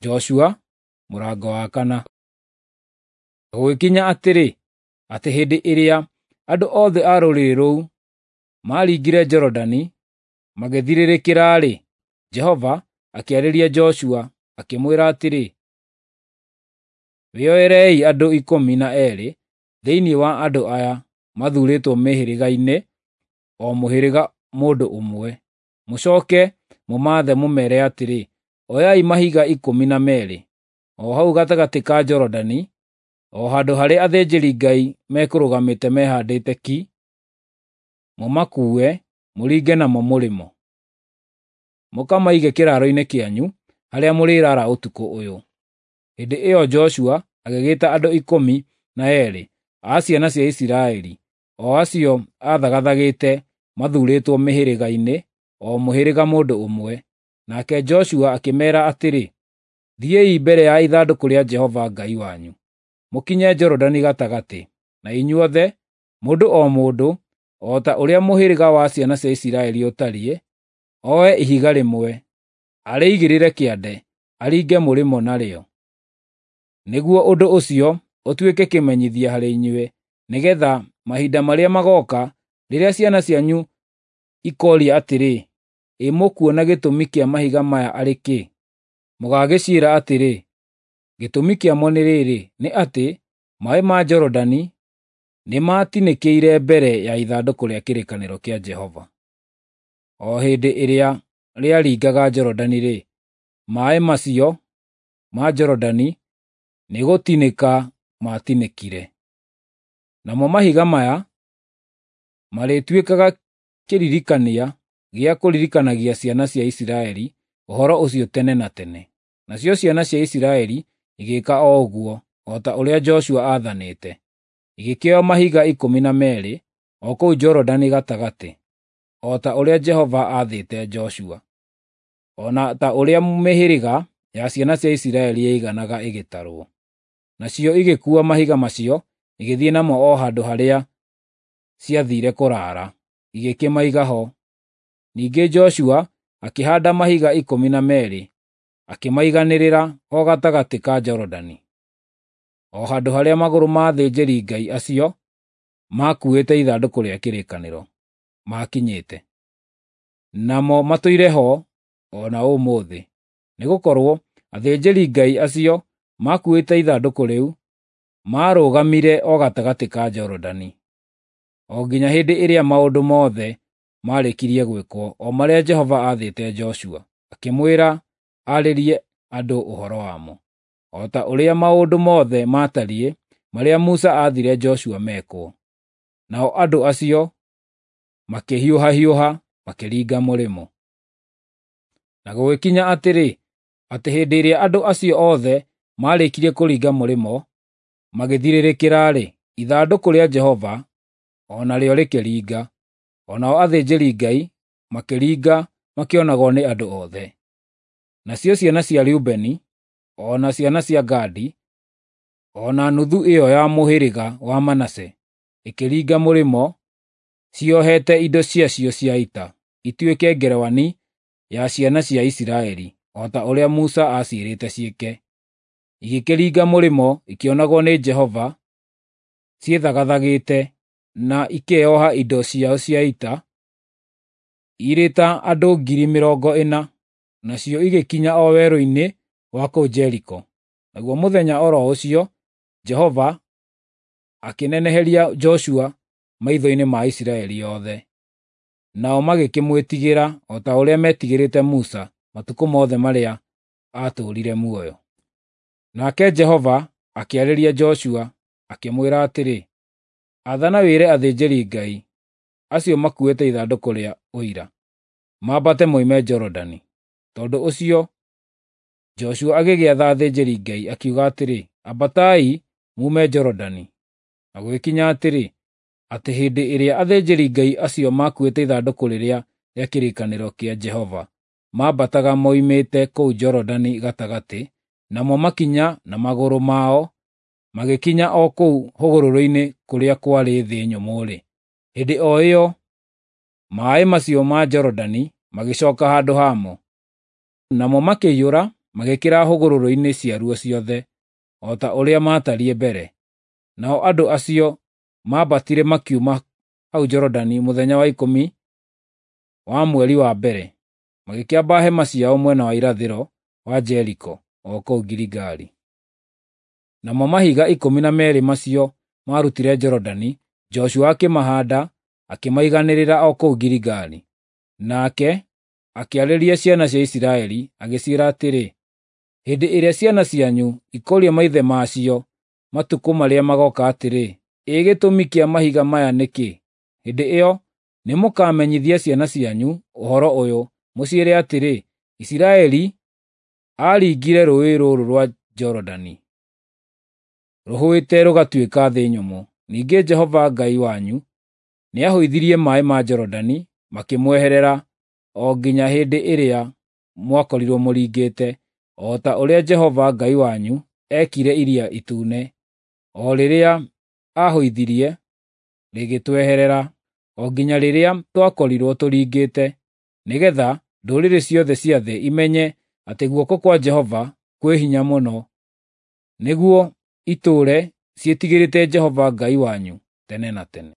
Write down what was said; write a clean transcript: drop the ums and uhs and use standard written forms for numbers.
Joshua mũrango wa kana. Gũgĩkinya atĩrĩ, atĩ hĩndĩ ĩrĩa andũ othe a rũrĩrĩ rũu maaringire Jorodani magĩthirĩrĩkĩra-rĩ, Jehova akĩarĩria Joshua, akĩmwĩra atĩrĩ, “Wĩoerei andũ 12 thĩinĩ wa andũ aya mathuurĩtwo mĩhĩrĩga-inĩ, o mũhĩrĩga mũndũ ũmwe. Mũcooke mũmaathe mũmeere atĩrĩ, ‘Oyai mahiga 12 o hau gatagatĩ ka Jorodani, o handũ harĩa athĩnjĩri-Ngai mekũrũgamĩte mehaandĩte ki, mũmakuue mũringe namo mũrĩmo. Mũkamaige kĩraaro-inĩ kĩanyu harĩa mũrĩraara ũtukũ ũyũ.’ ” Hĩndĩ ĩyo Joshua agĩgĩta andũ 12 a ciana cia Isiraeli, o acio aathagathagĩte mathuurĩtwo mĩhĩrĩga-inĩ, o mũhĩrĩga mũndũ ũmwe. Nake Joshua akĩmeera atĩrĩ, “Thiĩi mbere ya ithandũkũ rĩa Jehova Ngai wanyu, mũkinye Jorodani gatagatĩ, na inyuothe, mũndũ o mũndũ, o ta ũrĩa mũhĩrĩga wa ciana cia Isiraeli ũtariĩ, oe ihiga rĩmwe, arĩigĩrĩre kĩande, aringe mũrĩmo narĩo. Nĩguo ũndũ ũcio ũtuĩke kĩmenyithia harĩ inyuĩ, nĩgeetha mahinda marĩa magooka, rĩrĩa ciana cianyu ikooria atĩrĩ, ‘Ĩ mũkuona gĩtũmi kĩa mahiga maya arĩ kĩ?’ Mũgaagĩciĩra atĩrĩ, ‘Gĩtũmi kĩamo nĩ rĩrĩ, nĩ atĩ maaĩ ma Jorodani nĩmatinĩkĩire mbere ya ithandũkũ rĩa kĩrĩkanĩro kĩa Jehova. O hĩndĩ ĩrĩa rĩaringaga Jorodani-rĩ, maaĩ macio ma Jorodani nĩgũtinĩka maatinĩkire. Namo mahiga maya marĩtuĩkaga kĩririkania gĩa kũririkanagia ciana cia Isiraeli ũhoro ũcio tene na tene.” Nacio ciana cia Isiraeli igĩĩka o ũguo, o ta ũrĩa Joshua aathanĩte. Igĩkĩoya mahiga 12 o kũu Jorodani gatagatĩ, o ta ũrĩa Jehova aathĩte Joshua, o na ta ũrĩa mĩhĩrĩga ya ciana cia Isiraeli yaiganaga ĩgĩtarwo. Nacio igĩkuua mahiga macio igĩthiĩ namo o handũ harĩa ciathiire kũraara, igĩkĩmaiga ho. Ningĩ Joshua akĩhaanda mahiga 12, akĩmaiganĩrĩra o gatagatĩ ka Jorodani, o handũ harĩa magũrũ ma athĩnjĩri-Ngai acio maakuuĩte ithandũkũ rĩa kĩrĩkanĩro maakinyĩte. Namo matũire ho o na ũmũthĩ, nĩgũkorwo athĩnjĩri-Ngai acio maakuuĩte ithandũkũ rĩu maarũgamire o gatagatĩ ka Jorodani, o nginya hĩndĩ ĩrĩa maũndũ mothe maarĩkirie gwĩkwo o marĩa Jehova aathĩte Joshua, akĩmwĩra aarĩrie andũ ũhoro wamo, o ta ũrĩa maũndũ mothe maatariĩ marĩa Musa aathire Joshua mekwo. Nao andũ acio makĩhiũhahiũha makĩringa mũrĩmo. Na gũgĩkinya atĩrĩ, atĩ hĩndĩ ĩrĩa andũ acio othe maarĩkirie kũringa mũrĩmo, magĩthirĩrĩkĩra-rĩ, ithandũkũ rĩa Jehova o narĩo rĩkĩringa, o nao athĩnjĩri-Ngai makĩringa makĩonagwo nĩ andũ othe. Nacio ciana cia Rubeni, o na ciana cia Gadi, o na nuthu ĩyo ya mũhĩrĩga wa Manase ĩkĩringa mũrĩmo ciohete indo ciacio cia ita, ituĩke ngerwani ya ciana cia Isiraeli, o ta ũrĩa Musa aaciĩrĩte ciĩke. Igĩkĩringa mũrĩmo ikĩonagwo nĩ Jehova ciĩthagathagĩte, na ikeoha indo ciao cia ita, irĩ ta andũ 40,000, nacio igĩkinya o werũ-inĩ wa kũu Jeriko. Naguo mũthenya o ro ũcio Jehova akĩneneheria Joshua maitho-inĩ ma Isiraeli othe. Nao magĩkĩmwĩtigĩra o ta ũrĩa meetigĩrĩte Musa matukũ mothe marĩa aatũũrire muoyo. Nake Jehova akĩarĩria Joshua, akĩmwĩra atĩrĩ, “Athana wĩre athĩnjĩri-Ngai acio makuuĩte ithandũkũ rĩa Ũira mambate moime Jorodani.” Tondũ ũcio Joshua agĩgĩatha athĩnjĩri-Ngai, akiuga atĩrĩ, “Ambatai muume Jorodani.” Na gũgĩkinya atĩrĩ, atĩ hĩndĩ ĩrĩa athĩnjĩri-Ngai acio maakuuĩte ithandũkũ rĩrĩa rĩa kĩrĩkanĩro kĩa Jehova maambataga moimĩte kũu Jorodani gatagatĩ, namo makinya na magũrũ mao magĩkinya o kũu hũgũrũrũ-inĩ kũrĩa kwarĩ thĩ nyũmũ-rĩ, hĩndĩ o ĩyo maaĩ macio ma Jorodani magĩcooka handũ hamo. Namo makĩiyũra magĩkĩra hũgũrũrũ-inĩ ciaruo ciothe, o ta ũrĩa maatariĩ mbere. Nao andũ acio maambatire makiuma hau Jorodani mũthenya wa 10 wa mweri wa mbere, magĩkĩamba hema ciao mwena wa irathĩro wa Jeriko, o kũu Giligali. Namo mahiga 12 macio maarutire Jorodani, Joshua akĩmahaanda, akĩmaiganĩrĩra o kũu Giligali. Nake akĩarĩria ciana cia Isiraeli, agĩciĩra atĩrĩ, “Hĩndĩ ĩrĩa ciana cianyu ikooria maithe maacio matukũ marĩa magooka atĩrĩ, 'Ĩ gĩtũmi kĩa mahiga maya nĩ kĩ?' Hĩndĩ ĩyo nĩmũkamenyithia ciana cianyu ũhoro ũyũ, mũciĩre atĩrĩ, 'Isiraeli aaringire rũũĩ rũrũ rwa Jorodani rũhũĩte rũgatuĩka thĩ nyũmũ. Ningĩ Jehova Ngai wanyu nĩahũithirie maaĩ ma Jorodani makĩmweherera o nginya hĩndĩ ĩrĩa mwakorirwo mũringĩte, o ta ũrĩa Jehova Ngai wanyu eekire Iria Itune, o rĩrĩa aahũithirie rĩgĩtweherera, o nginya rĩrĩa twakorirwo tũringĩte, nĩgeetha ndũrĩrĩ ciothe cia thĩ imenye atĩ guoko kwa Jehova kwĩ hinya mũno, nĩguo itũũre ciĩtigĩrĩte Jehova Ngai wanyu tene na tene.”